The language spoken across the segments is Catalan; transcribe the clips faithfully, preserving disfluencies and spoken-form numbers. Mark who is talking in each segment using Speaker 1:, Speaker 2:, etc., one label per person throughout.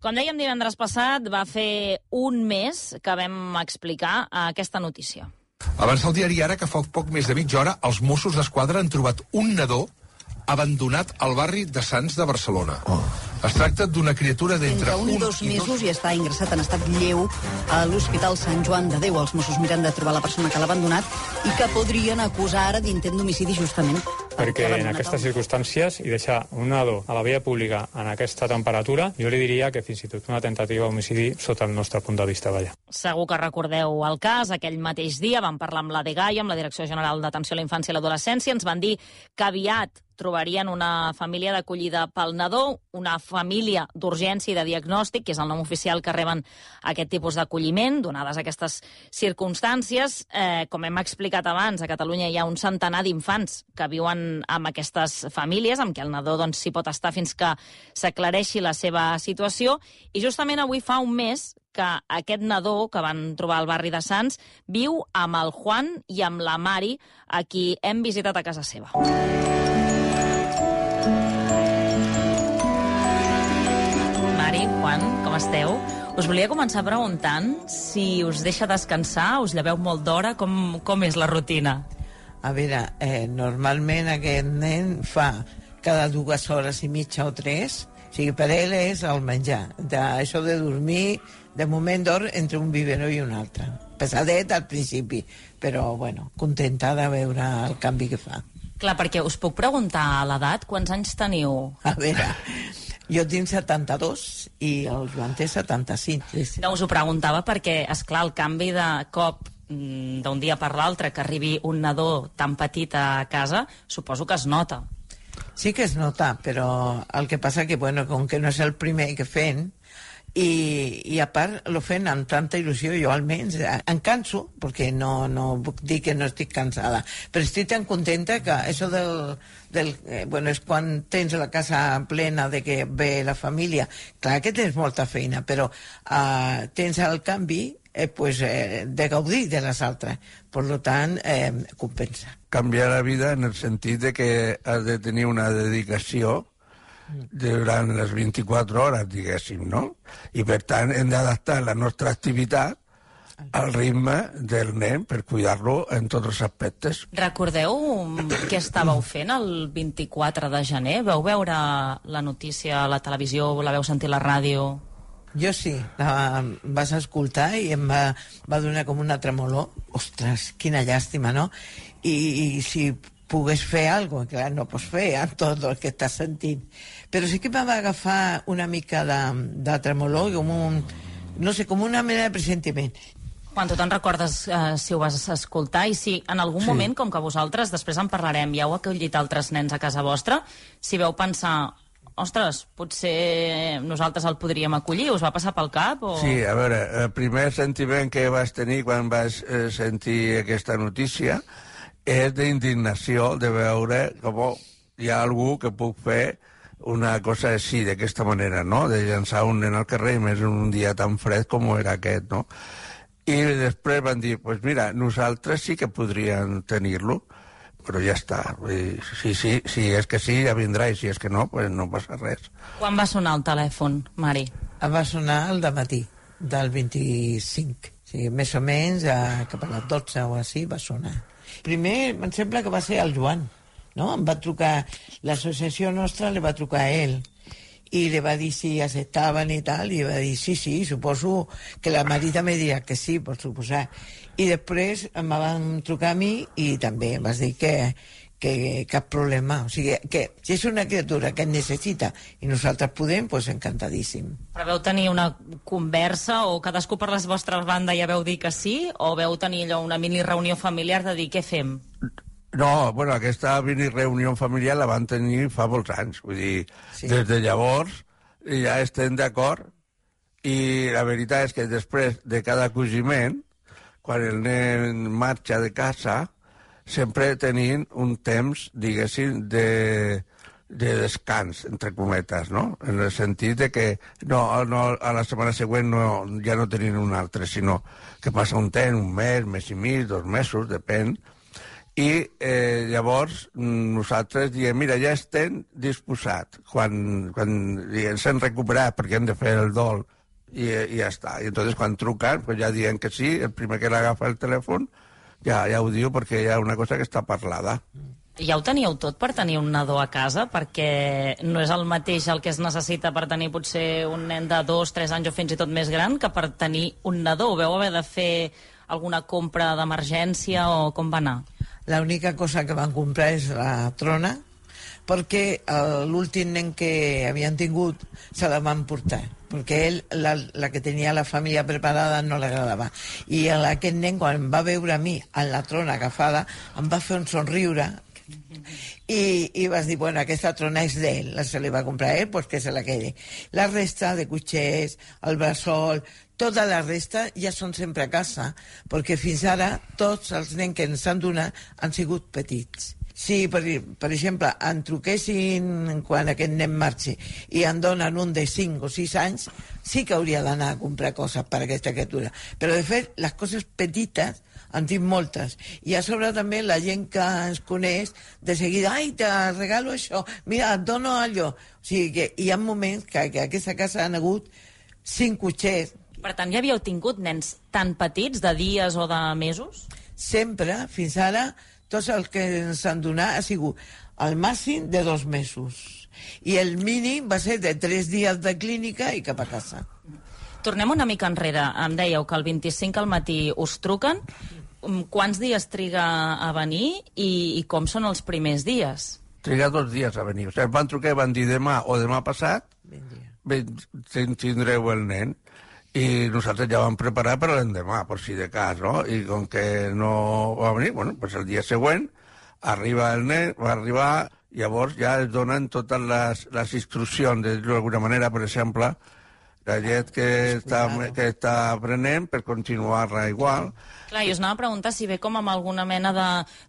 Speaker 1: Com dèiem divendres passat, va fer un mes que vam explicar aquesta notícia.
Speaker 2: Avança el diari Ara que fa poc més de mitja hora els Mossos d'Esquadra han trobat un nadó abandonat al barri de Sants de Barcelona. Oh. Es tracta d'una criatura d'entre
Speaker 3: un i dos mesos i està ingressat en estat lleu a l'Hospital Sant Joan de Déu. Els Mossos miren de trobar la persona que l'ha abandonat i que podrien acusar ara d'intent d'homicidi justament.
Speaker 4: Perquè en aquestes circumstàncies i deixar un nadó a la via pública en aquesta temperatura, jo li diria que fins i tot una tentativa d'homicidi sota el nostre punt de vista, vaja.
Speaker 1: Segur que recordeu el cas. Aquell mateix dia vam parlar amb la DGAI, amb la Direcció General d'Atenció a la Infància i l'Adolescència. Ens van dir que aviat trobarien una família d'acollida pel nadó, una família d'urgència i de diagnòstic, que és el nom oficial que reben aquest tipus d'acolliment, donades aquestes circumstàncies. Eh, com hem explicat abans, a Catalunya hi ha un centenar d'infants que viuen amb aquestes famílies, amb què el nadó doncs, s'hi pot estar fins que s'aclareixi la seva situació. I justament avui fa un mes que aquest nadó que van trobar al barri de Sants viu amb el Juan i amb la Mari, a qui hem visitat a casa seva. Mari, Juan, com esteu? Us volia començar preguntant si us deixa descansar, us lleveu molt d'hora, com, com és la rutina?
Speaker 5: A veure, eh, normalment aquest nen fa cada dues hores i mitja o tres, o sigui, per ell és el menjar. De, això de dormir, de moment dorm entre un biberó i un altre. Pesadet al principi, però, bueno, contenta de veure el canvi que fa.
Speaker 1: Clar, perquè us puc preguntar l'edat, quants anys teniu?
Speaker 5: A veure, jo tinc setanta-dos i el Joan té setanta-cinc.
Speaker 1: No, us ho preguntava perquè, esclar, el canvi de cop d'un dia per l'altre, que arribi un nadó tan petit a casa, suposo que es nota.
Speaker 5: Sí que es nota, però el que passa que, bueno, com que no és el primer que fem, i, i a part lo fent amb tanta il·lusió, jo almenys em canso, perquè no, no puc dir que no estic cansada, però estic tan contenta que això del, del eh, bueno, és quan tens la casa plena de que ve la família, clar que tens molta feina, però eh, tens el canvi eh, pues, eh, de gaudir de les altres, per tant eh, compensa.
Speaker 6: Canviar la vida en el sentit de que has de tenir una dedicació durant les vint-i-quatre hores, diguéssim, no? I per tant hem d'adaptar la nostra activitat al ritme del nen per cuidar-lo en tots els aspectes.
Speaker 1: Recordeu què estàveu fent el vint-i-quatre de gener? Vau veure la notícia a la televisió, la vau sentir a la ràdio?
Speaker 5: Jo sí, la vas escoltar i em va, va donar com una tremolor. Ostres, quina llàstima, no? I, i si pogués fer alguna cosa, clar, no pots fer amb tot el que estàs sentint. Però sí que em va agafar una mica de, de tremolor, com un, no sé, com una mena de pressentiment.
Speaker 1: Quan tu te'n recordes eh, si ho vas escoltar i si en algun sí. moment, com que vosaltres, després en parlarem, ja heu acollit altres nens a casa vostra, si veu pensar, ostres, potser nosaltres el podríem acollir, us va passar pel cap? O...
Speaker 6: Sí, a veure, el primer sentiment que vas tenir quan vas eh, sentir aquesta notícia és d'indignació de veure com hi ha algú que puc fer una cosa així, d'aquesta manera, no? De llançar un nen al carrer, més en un dia tan fred com era aquest, no? I després van dir, pues mira, nosaltres sí que podríem tenir-lo, però ja està. Si, si, si és que sí, ja vindrà, i si és que no, pues no passa res.
Speaker 1: Quan va sonar el telèfon, Mari?
Speaker 5: Va sonar el dematí, del vint-i-cinc. O sigui, més o menys, a, cap a les dotze o així, va sonar. Primer, em sembla que va ser el Joan, no? Em va trucar, l'associació nostra li va trucar a ell, i li va dir si acceptaven i tal, i va dir sí, sí, suposo que la Mari també dirà que sí, per suposar. I després em van trucar a mi i també em vas dir que, que cap problema. O sigui, que si és una criatura que en necessita i nosaltres podem, doncs encantadíssim.
Speaker 1: Però veu tenir una conversa o cadascú per les vostres bandes ja veu dir que sí, o veu tenir allò una mini reunió familiar de dir què fem?
Speaker 6: No, bueno, aquesta mini reunió familiar la van tenir fa molts anys, vull dir, sí. Des de llavors ja estem d'acord i la veritat és que després de cada acogiment, quan el nen marxa de casa, sempre tenim un temps, diguéssim, de, de descans, entre cometes, no? En el sentit de que no, no, a la setmana següent no, ja no tenim un altre, sinó que passa un temps, un mes, mes i mig, dos mesos, depèn, I eh, llavors nosaltres diem, mira, ja estem disposats. Quan, quan ens hem recuperat perquè hem de fer el dol i, i ja està. I entonces quan truquen, pues ja diuen que sí, el primer que l'agafa el telèfon ja, ja ho diu perquè hi ha una cosa que està parlada.
Speaker 1: Ja ho teníeu tot per tenir un nadó a casa? Perquè no és el mateix el que es necessita per tenir potser un nen de dos, tres anys o fins i tot més gran que per tenir un nadó. Ho veu haver de fer alguna compra d'emergència o com va anar?
Speaker 5: L'única cosa que van comprar és la trona, perquè l'últim nen que havien tingut se la van portar, perquè ell, la, la que tenia la família preparada no l'agradava. I aquest nen, quan va veure a mi en la trona agafada, em va fer un somriure i, i vas dir, bueno, aquesta trona és d'ell, se li va comprar a ell, pues que se la quede. La resta de cotxers, el bressol, tota la resta ja són sempre a casa, perquè fins ara tots els nens que ens han donat han sigut petits. Si, per, per exemple, en truquessin quan aquest nen marxi i en donen un de cinc o sis anys, sí que hauria d'anar a comprar coses per a aquesta criatura. Però, de fet, les coses petites en tinc moltes. I a sobre també la gent que ens coneix, de seguida, ai, te regalo això, mira, et dono allò. O sigui que hi ha moments que, que a aquesta casa han hagut cinc cotxers.
Speaker 1: Per tant, ja havíeu tingut nens tan petits, de dies o de mesos?
Speaker 5: Sempre, fins ara, tots els que ens han donat ha sigut el màxim de dos mesos. I el mínim va ser de tres dies de clínica i cap a casa.
Speaker 1: Tornem una mica enrere. Em dèieu que el vint-i-cinc al matí us truquen. Quants dies triga a venir i, i com són els primers dies?
Speaker 6: Triga dos dies a venir. O sigui, van trucar i van dir demà o demà passat tindreu el nen. I nosaltres ja vam preparar per l'endemà, per si de cas, no? I com que no va venir, bueno, pues el dia següent arriba el nen, va arribar, llavors ja es donen totes les, les instruccions, de dir-ho d'alguna manera, per exemple, la llet que està, que està prenent per continuar-la igual.
Speaker 1: Clar, jo us anava a preguntar si ve com amb alguna mena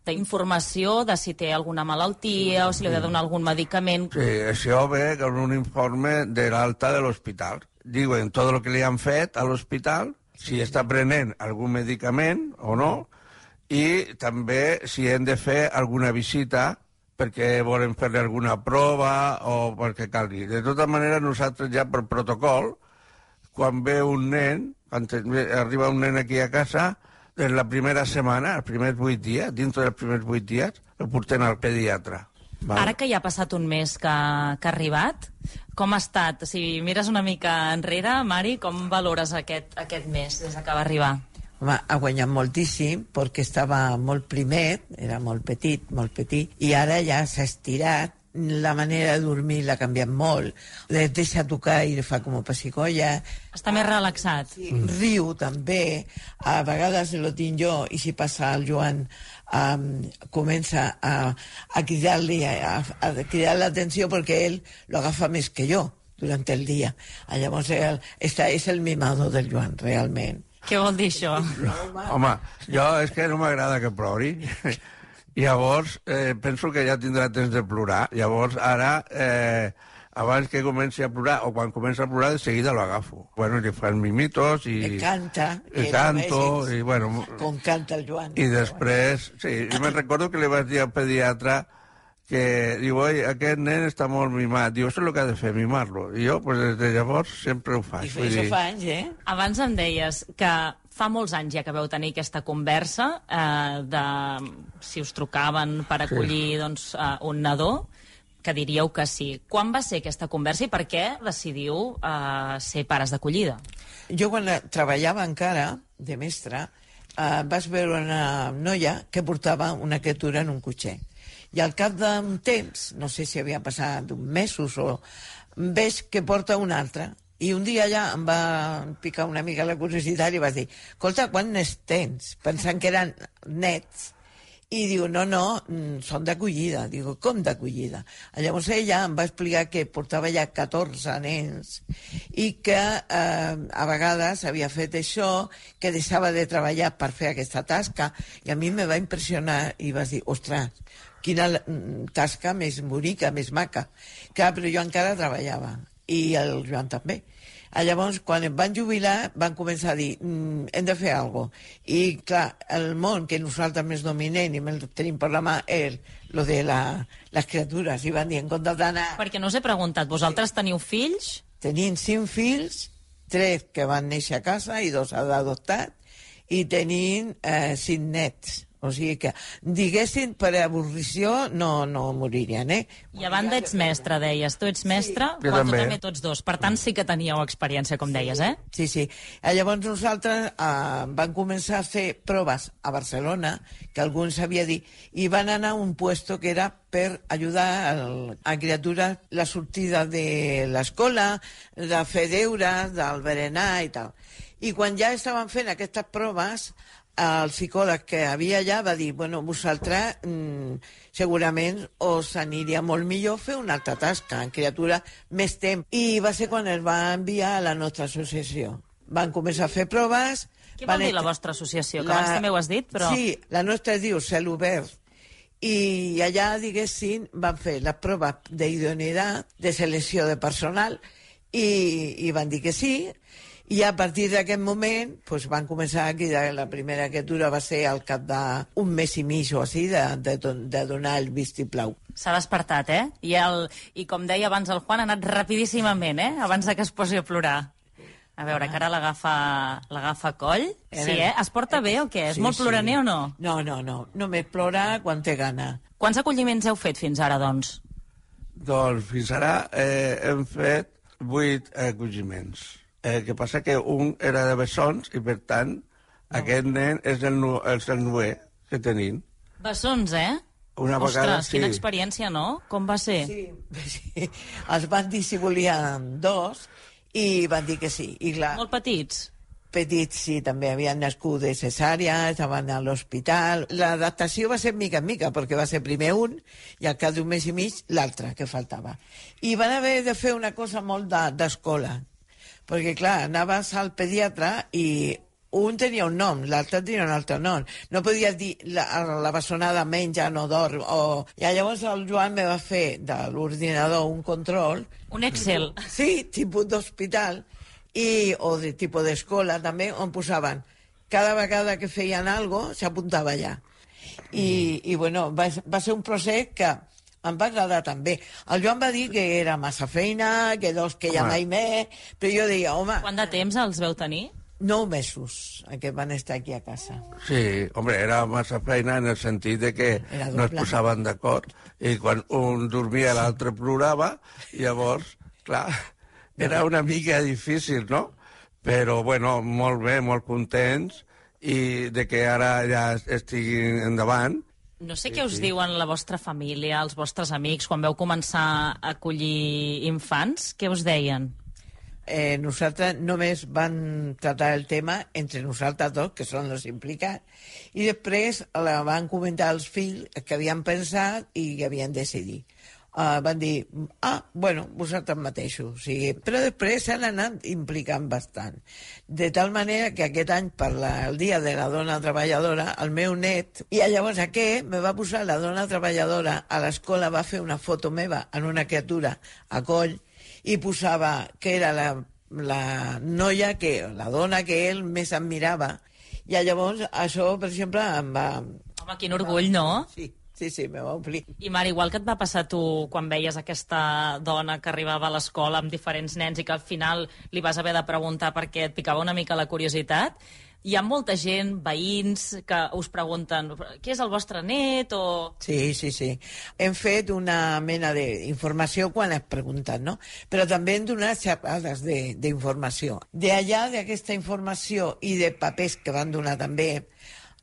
Speaker 1: d'informació de, de si té alguna malaltia o si li ha de donar algun medicament.
Speaker 6: Sí, això ve com un informe de l'alta de l'hospital. Diuen tot el que li han fet a l'hospital, si està prenent algun medicament o no, i també si hem de fer alguna visita perquè volen fer-li alguna prova o perquè calgui. De tota manera, nosaltres ja per protocol, quan ve un nen, quan arriba un nen aquí a casa, en la primera setmana, els primers vuit dies, dintre dels primers vuit dies, el portem al pediatre. Vale.
Speaker 1: Ara que ja ha passat un mes que, que ha arribat, com ha estat? Si mires una mica enrere, Mari, com valores aquest, aquest mes des que va arribar?
Speaker 5: Home, ha guanyat moltíssim perquè estava molt primet, era molt petit, molt petit, i ara ja s'ha estirat. La manera de dormir l'ha canviat molt. Les deixa tocar i fa com a pessicolla.
Speaker 1: Està més relaxat.
Speaker 5: Sí, riu també. A vegades lo tinc jo i si passa el Joan um, comença a, a cridar-li, a, a cridar l'atenció perquè ell lo agafa més que jo durant el dia. Llavors el, esta és el mimado del Joan, realment.
Speaker 1: Què vol dir això?
Speaker 6: Home, jo és que no m'agrada que plori. Llavors, eh, penso que ja tindrà temps de plorar. Llavors, ara, eh, abans que comenci a plorar, o quan comença a plorar, de seguida lo agafo. Bueno, li fan mimitos i...
Speaker 5: Le canta.
Speaker 6: I canto, i bueno...
Speaker 5: Com canta el Joan.
Speaker 6: I després, sí, jo me'n recordo que li vaig dir al pediatre que, diu, oi, aquest nen està molt mimat. Diu, això és el que ha de fer, mimar-lo. I jo, pues, des de llavors, sempre ho faig.
Speaker 5: I això fa anys, eh?
Speaker 1: Abans em deies que fa molts anys ja que vau tenir aquesta conversa eh, de si us trucaven per acollir sí. doncs, eh, un nadó, que diríeu que sí. Quan va ser aquesta conversa i per què decidiu eh, ser pares d'acollida?
Speaker 5: Jo quan treballava encara de mestra eh, vaig veure una noia que portava una criatura en un cotxer. I al cap d'un temps, no sé si havia passat uns mesos o... veig que porta una altra. I un dia ja em va picar una mica la curiositat i vaig dir, escolta, quants nets tens? Pensant que eren nets. I diu, no, no, són d'acollida. Digo, com d'acollida? Llavors ella em va explicar que portava ja catorze nens i que eh, a vegades havia fet això, que deixava de treballar per fer aquesta tasca, i a mi me va impressionar i vaig dir, ostres, quina tasca més bonica, més maca. Clar, però jo encara treballava i el Joan també. Llavors, quan em van jubilar, van començar a dir mm, hem de fer alguna cosa. I, clar, el món que nosaltres més dominem i més tenim per la mà és lo de la, les criatures. I van dir, en compte d'anar...
Speaker 1: Perquè no us he preguntat, vosaltres teniu fills?
Speaker 5: Tenim cinc fills, tres que van néixer a casa i dos adoptats, i tenim eh, cinc nets. O sigui que, diguessin, per avorrició no, no moririen, eh?
Speaker 1: I a banda ets mestre, deies. Tu ets mestre,
Speaker 6: sí.
Speaker 1: quan tu també tots dos. Per tant, sí que teníeu experiència, com deies, eh?
Speaker 5: Sí, sí. Llavors nosaltres eh, vam començar a fer proves a Barcelona, que algú ens havia dit, i van anar a un puesto que era per ajudar el, a criatures la sortida de l'escola, de fer deures, del berenar i tal. I quan ja estaven fent aquestes proves, el psicòleg que havia allà va dir, bueno, vosaltres mm, segurament us aniria molt millor fer una altra tasca, en criatura, més temps. I va ser quan es va enviar a la nostra associació. Van començar a fer proves...
Speaker 1: Què vol dir la vostra associació? Que la... abans també ho has dit, però...
Speaker 5: Sí, la nostra es diu Cel Obert. I allà, diguéssim, van fer les proves d'idoneïtat, de selecció de personal, i, i van dir que sí. I a partir d'aquest moment pues, van començar a cridar. La primera criatura va ser al cap d'un mes i mig o així de, de, de donar el vistiplau.
Speaker 1: S'ha despertat, eh? I, el, I com deia abans el Juan, ha anat rapidíssimament, eh? Abans de que es posi a plorar. A veure, que ara l'agafa l'agafa coll. Sí, eh? Es porta bé o què? És
Speaker 5: sí,
Speaker 1: molt ploraner
Speaker 5: sí.
Speaker 1: o no?
Speaker 5: No, no, no. Només plora quan té gana.
Speaker 1: Quants acolliments heu fet fins ara, doncs?
Speaker 6: Doncs fins ara eh, hem fet vuit acolliments. El que passa que un era de bessons i, per tant, no. aquest nen és el, nu és el nuer que tenim.
Speaker 1: Bessons, eh?
Speaker 6: Una
Speaker 1: Ostres,
Speaker 6: vegada, sí.
Speaker 1: Quina experiència, no? Com va ser?
Speaker 5: Sí, sí. Els van dir si volien dos i van dir que sí. I clar,
Speaker 1: Molt petits?
Speaker 5: Petits, sí, també havien nascut de cesària, estaven a l'hospital. L'adaptació va ser mica en mica, perquè va ser primer un i al cap d'un mes i mig l'altre, que faltava. I van haver de fer una cosa molt d'escola, de, perquè, clar, anaves al pediatre i un tenia un nom, l'altre tenia un altre nom. No podies dir la, la bessonada menja, no dorm. O... I llavors el Joan me va fer de l'ordinador un control.
Speaker 1: Un Excel.
Speaker 5: Sí, tipus d'hospital, i, o de tipus d'escola també, on posaven cada vegada que feien alguna cosa, s'apuntava allà. I, i bueno, va, va ser un procés que em va agradar també. El Joan va dir que era massa feina, que dos que ja mai més, però jo deia, home...
Speaker 1: Quant de temps els veu tenir?
Speaker 5: Nou mesos que van estar aquí a casa.
Speaker 6: Sí, hombre, era massa feina en el sentit de que no es posaven d'acord i quan un dormia l'altre plorava, i llavors, clar, era una mica difícil, no? Però, bueno, molt bé, molt contents i de que ara ja estiguin endavant.
Speaker 1: No sé què us diuen la vostra família, els vostres amics, quan veu començar a acollir infants. Què us deien?
Speaker 5: Eh, nosaltres només van tratar el tema entre nosaltres dos, que són els implicats, i després la van comentar als fills que havien pensat i que havien decidit. Uh, van dir, ah, bueno, vosaltres mateixos. O sigui, però després s'han anat implicant bastant. De tal manera que aquest any, per la, el dia de la dona treballadora, el meu net, i llavors aquest me va posar la dona treballadora a l'escola, va fer una foto meva en una criatura a coll, i posava que era la, la noia, que, la dona que ell més admirava. I llavors això, per exemple, em va...
Speaker 1: Home, quin orgull, no?
Speaker 5: Sí. Sí, sí, me va omplir.
Speaker 1: I, Mar, igual que et va passar tu quan veies aquesta dona que arribava a l'escola amb diferents nens i que al final li vas haver de preguntar perquè et picava una mica la curiositat, hi ha molta gent, veïns, que us pregunten qui és el vostre net o...
Speaker 5: Sí, sí, sí. Hem fet una mena d'informació quan es pregunten, no? Però també hem donat xerrades d'informació. D'allà, d'aquesta informació i de papers que van donar també,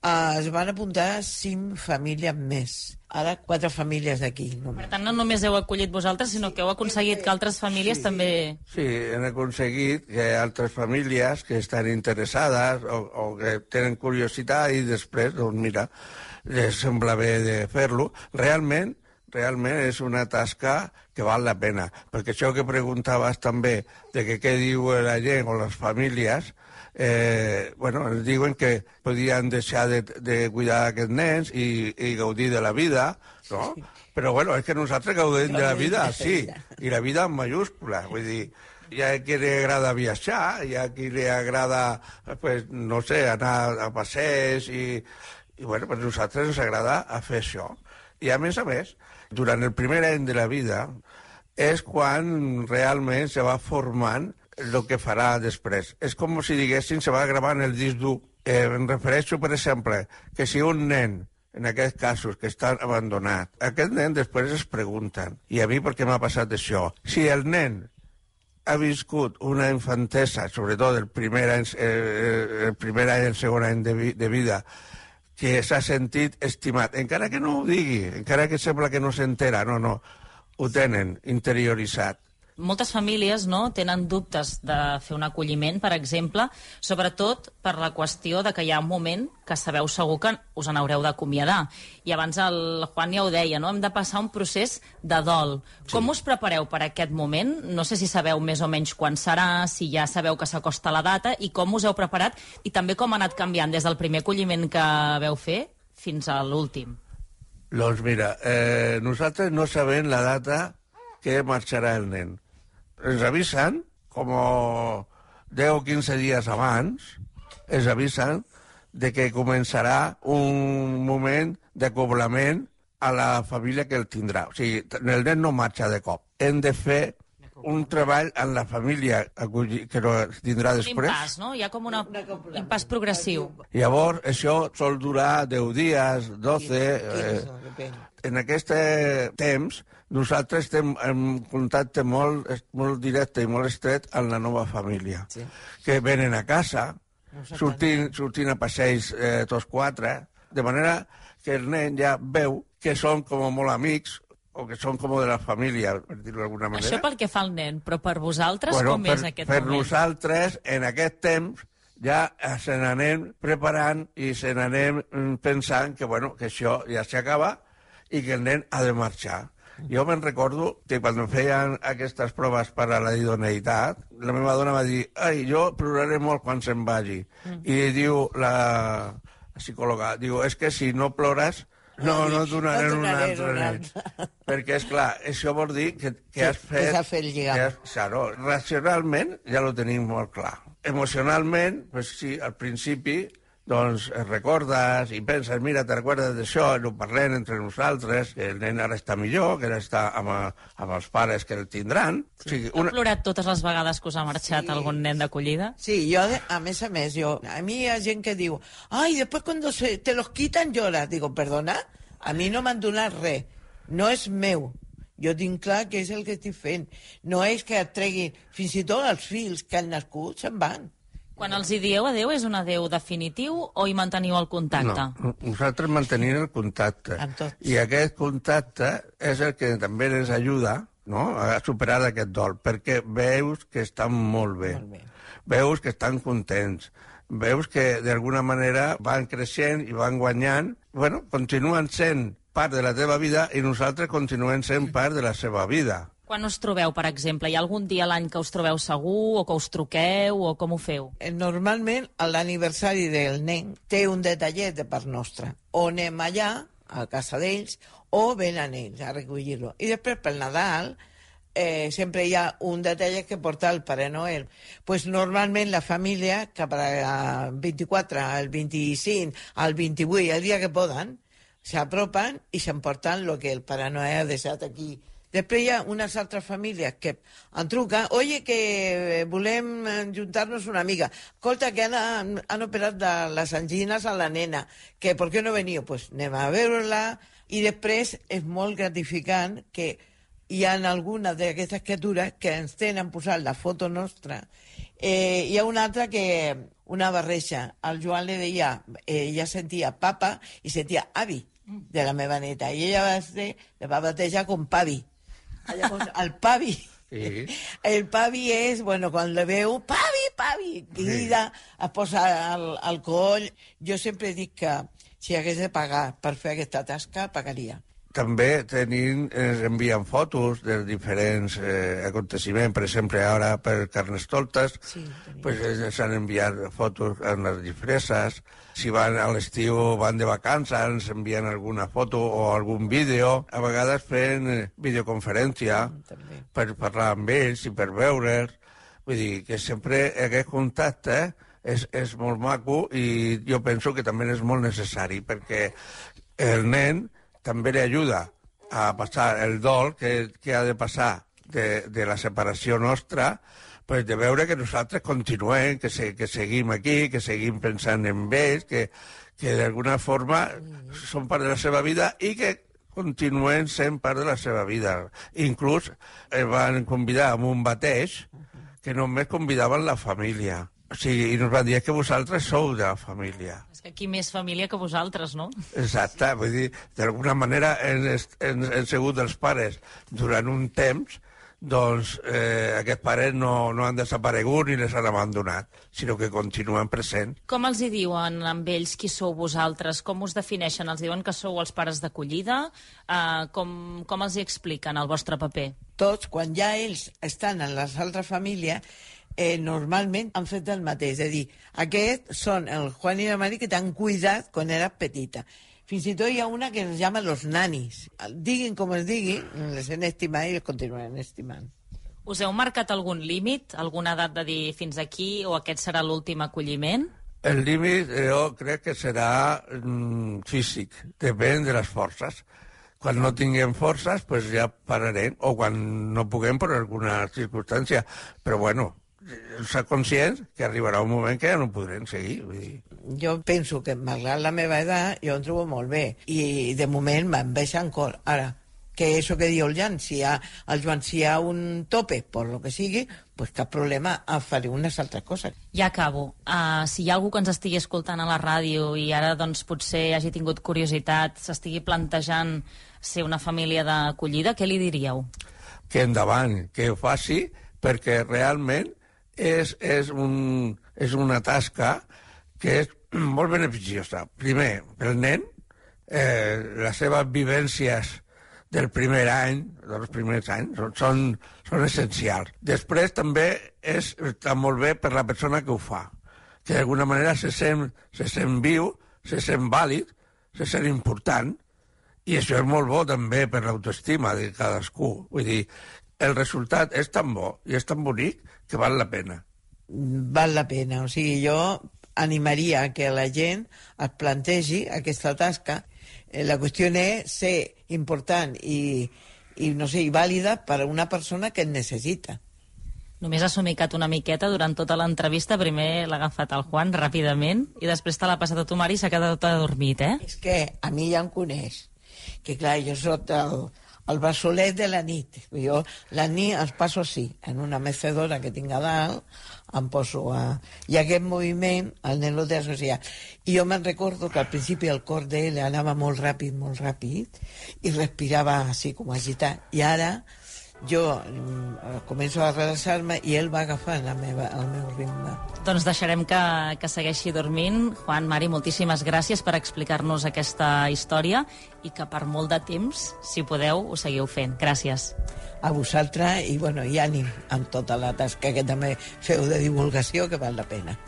Speaker 5: Uh, es van apuntar cinc famílies més. Ara, quatre famílies d'aquí.
Speaker 1: Per tant, no només heu acollit vosaltres, sinó que heu aconseguit que altres famílies
Speaker 6: sí,
Speaker 1: també...
Speaker 6: Sí, hem aconseguit que altres famílies que estan interessades o, o que tenen curiositat i després, doncs mira, les sembla bé de fer-lo. Realment, realment és una tasca que val la pena. Perquè això que preguntaves també, de que què diu la gent o les famílies, Eh, bueno, ens diuen que podien deixar de, de cuidar aquests nens i, i gaudir de la vida, no? Però, bueno, és que nosaltres gaudim de la vida, sí, i la vida en mayúscula, vull dir, Hi ha qui li agrada viatjar, hi ha qui li agrada, pues, no sé, anar a passeig i, i bueno, pues nosaltres ens agrada a fer això. I a més a més, durant el primer any de la vida és quan realment se va formant el que farà després. És com si diguéssim se va gravant el disc dur. Eh, em refereixo, per exemple, que si un nen, en aquests casos, que està abandonat, aquest nen després es pregunten, i a mi per què m'ha passat això? Si el nen ha viscut una infantesa, sobretot el primer any, eh, el primer any, el segon any de, vi, de vida, que s'ha sentit estimat, encara que no ho digui, encara que sembla que no s'entera, no, no, ho tenen interioritzat.
Speaker 1: Moltes famílies, no, tenen dubtes de fer un acolliment, per exemple, sobretot per la qüestió de que hi ha un moment que sabeu segur que us en haureu d'acomiadar. I abans el Juan ja ho deia, no? Hem de passar un procés de dol. Sí. Com us prepareu per aquest moment? No sé si sabeu més o menys quan serà, si ja sabeu que s'acosta la data, i com us heu preparat, i també com ha anat canviant des del primer acolliment que veu fer fins a l'últim.
Speaker 6: Doncs mira, eh, nosaltres no sabem la data que marxarà el nen. Ens avisen, com deu o quinze dies abans, ens avisen de que començarà un moment d'acoblament a la família que el tindrà. O sigui, el nen no marxa de cop. Hem de fer un treball en la família que lo tindrà després.
Speaker 1: Un impàs, no? Hi ha com una, un impàs progressiu.
Speaker 6: Llavors, això sol durar deu dies, dotze... Eh, en aquest temps, nosaltres estem en contacte molt, molt directe i molt estret amb la nova família, sí. Que venen a casa, sortint, sortint a passeig eh, tots quatre, de manera que el nen ja veu que són com molt amics, o que són com de la família, per dir-ho d'alguna manera.
Speaker 1: Això pel que fa al nen, però per vosaltres
Speaker 6: bueno,
Speaker 1: com
Speaker 6: per,
Speaker 1: és aquest
Speaker 6: per
Speaker 1: moment?
Speaker 6: Per nosaltres, en aquest temps, ja se n'anem preparant i se n'anem pensant que, bueno, que això ja s'acaba i que el nen ha de marxar. Jo me'n recordo que quan feien aquestes proves per a la idoneïtat, la meva dona va dir, ai, jo ploraré molt quan se'n vagi. Mm. I diu la, la psicòloga, diu, és que si no plores, no, no et donaré no un altre nen. Perquè, és clar, això vol dir que, que sí, has fet...
Speaker 5: Que s'ha fet lligar.
Speaker 6: Que has, claro, racionalment ja ho tenim molt clar. Emocionalment, pues sí, al principi... doncs recordes i penses, mira, te recordes d'això, ho parlem entre nosaltres, que el nen ara està millor, que ara està amb, amb els pares que el tindran.
Speaker 1: Sí. O sigui, una... Heu plorat totes les vegades que us ha marxat sí. algun nen d'acollida?
Speaker 5: Sí, jo, a més a més, jo, a mi hi ha gent que diu, ai, després quan se, te los quitan lloras. Digo, perdona, a mi no m'han donat res, no és meu. Jo tinc clar que és el que estic fent. No és que et treguin, fins i tot els fills que han nascut se'n van.
Speaker 1: Quan els hi dieu adeu, és un adeu definitiu o hi manteniu el contacte?
Speaker 6: No, nosaltres mantenim el contacte. I aquest contacte és el que també ens ajuda, no?, a superar aquest dol, perquè veus que estan molt bé, molt bé. Veus que estan contents, veus que d'alguna manera van creixent i van guanyant, bueno, continuen sent part de la teva vida i nosaltres continuem sent part de la seva vida.
Speaker 1: Quan us trobeu, per exemple? Hi ha algun dia a l'any que us trobeu segur, o que us truqueu, o com ho feu?
Speaker 5: Normalment, l'aniversari del nen té un detallet de part nostra. O anem allà, a casa d'ells, o venen ells a recollir-lo. I després, pel Nadal, eh, sempre hi ha un detallet que porta el Pare Noel. Pues normalment la família, cap al vint-i-quatre, al vint-i-cinc, al vint-i-vuit, el dia que poden, s'apropen i s'emporten el que el Pare Noel ha deixat aquí. Després hi ha unes altres famílies que em truquen, oye, que volem juntar-nos una amiga. Escolta, que han, han operat de les angines a la nena, que per què no veniu? Pues anem a veure-la. I després és molt gratificant que hi ha algunes d'aquestes criatures que ens tenen posat la foto nostra. Eh, hi ha una altra que, una barreja, al Joan li deia, eh, ella sentia papa i sentia avi de la meva neta. I ella va, ser, la va batejar com Pavi. Llavors, el Pavi, sí. El Pavi és, bueno, quan le veu, Pavi, Pavi, crida, sí. Es posa al, al coll. Jo sempre dic que si hagués de pagar per fer aquesta tasca, pagaria.
Speaker 6: També tenim, ens envien fotos dels diferents eh, aconteciments. Per exemple, ara per Carnestoltes sí, pues, s'han enviat fotos en les disfresses. Si van a l'estiu, van de vacances, ens envien alguna foto o algun vídeo. A vegades fent videoconferència mm, per parlar amb ells i per veure'ls. Vull dir que sempre aquest contacte és, és molt maco i jo penso que també és molt necessari perquè el nen també li ajuda a passar el dol que, que ha de passar de, de la separació nostra, pues de veure que nosaltres continuem, que, se, que seguim aquí, que seguim pensant en ells, que, que d'alguna forma són part de la seva vida i que continuen sent part de la seva vida. Inclús el van convidar a un bateig que només convidaven la família. O sigui, i ens van dir que vosaltres sou de la família.
Speaker 1: És que aquí més família que vosaltres, no?
Speaker 6: Exacte, vull dir, d'alguna manera hem, hem, hem sigut els pares durant un temps, doncs eh, aquests pares no, no han desaparegut ni les han abandonat, sinó que continuen presents.
Speaker 1: Com els hi diuen amb ells qui sou vosaltres? Com us defineixen? Els diuen que sou els pares d'acollida? Uh, com, com els hi expliquen el vostre paper?
Speaker 5: Tots, quan ja ells estan en les altres famílies, eh, normalment han fet el mateix. És a dir, aquests són el Juan i la Mari que t'han cuidat quan eres petita. Fins i tot hi ha una que es llama los nanis. Diguin com es diguin, les han estimat i les continuen estimant.
Speaker 1: Us heu marcat algun límit, alguna edat de dir fins aquí o aquest serà l'últim acolliment?
Speaker 6: El límit jo crec que serà mm, físic, depèn de les forces. Quan no tinguem forces, pues ja pararem, o quan no puguem per alguna circumstància. Però bueno, ser conscients que arribarà un moment que ja no podrem seguir. Vull dir.
Speaker 5: Jo penso que, malgrat la meva edat, jo em trobo molt bé. I, de moment, me'n veig encore. Ara, que això que diu el Jan, si hi ha, el Joan, si hi ha un tope, per lo que sigui, pues cap problema, faré unes altres coses.
Speaker 1: Ja acabo. Uh, si hi ha algú que ens estigui escoltant a la ràdio i ara doncs, potser hagi tingut curiositat, s'estigui plantejant ser una família d'acollida, què li diríeu?
Speaker 6: Que endavant, que ho faci, perquè realment és, és, un, és una tasca que és molt beneficiosa. Primer, pel nen, eh, les seves vivències del primer any, dels primers anys, són, són, són essencials. Després també és, està molt bé per la persona que ho fa, que d'alguna manera se sent, se sent viu, se sent vàlid, se sent important, i això és molt bo també per l'autoestima de cadascú. Vull dir, el resultat és tan bo i és tan bonic que val la pena.
Speaker 5: Val la pena. O sigui, jo animaria que la gent es plantegi aquesta tasca. La qüestió és ser important i, i, no sé, i vàlida per a una persona que et necessita.
Speaker 1: Només ha somicat una miqueta durant tota l'entrevista. Primer l'ha agafat el Juan ràpidament i després te l'ha passat a tu, Mari, i s'ha quedat adormit, eh?
Speaker 5: És que a mi ja em coneix. Que clar, jo soc el, el bassolet de la nit. Jo la nit els passo així, en una mecedora que tinc a dalt, em poso a... I aquest moviment, el nen lo té associat. I jo me'n recordo que al principi el cor d'ell anava molt ràpid, molt ràpid, i respirava així com agitat. I ara jo mm, començo a relaxar-me i ell va agafant la meva, el meu ritme.
Speaker 1: Doncs deixarem que, que segueixi dormint. Juan, Mari, moltíssimes gràcies per explicar-nos aquesta història i que per molt de temps, si podeu, ho seguiu fent. Gràcies.
Speaker 5: A vosaltres i, bueno, i ànim amb tota la tasca que també feu de divulgació, que val la pena.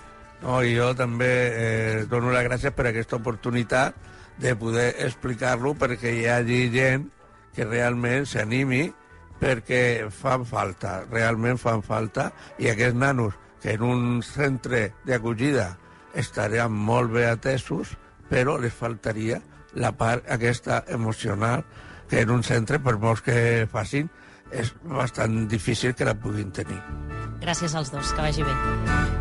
Speaker 6: No, i jo també eh, dono les gràcies per aquesta oportunitat de poder explicar-lo perquè hi hagi gent que realment s'animi perquè fan falta, realment fan falta, i aquests nanos que en un centre d'acollida estarien molt bé atesos, però les faltaria la part aquesta emocional que en un centre, per molts que facin, és bastant difícil que la puguin tenir.
Speaker 1: Gràcies als dos, que vagi bé.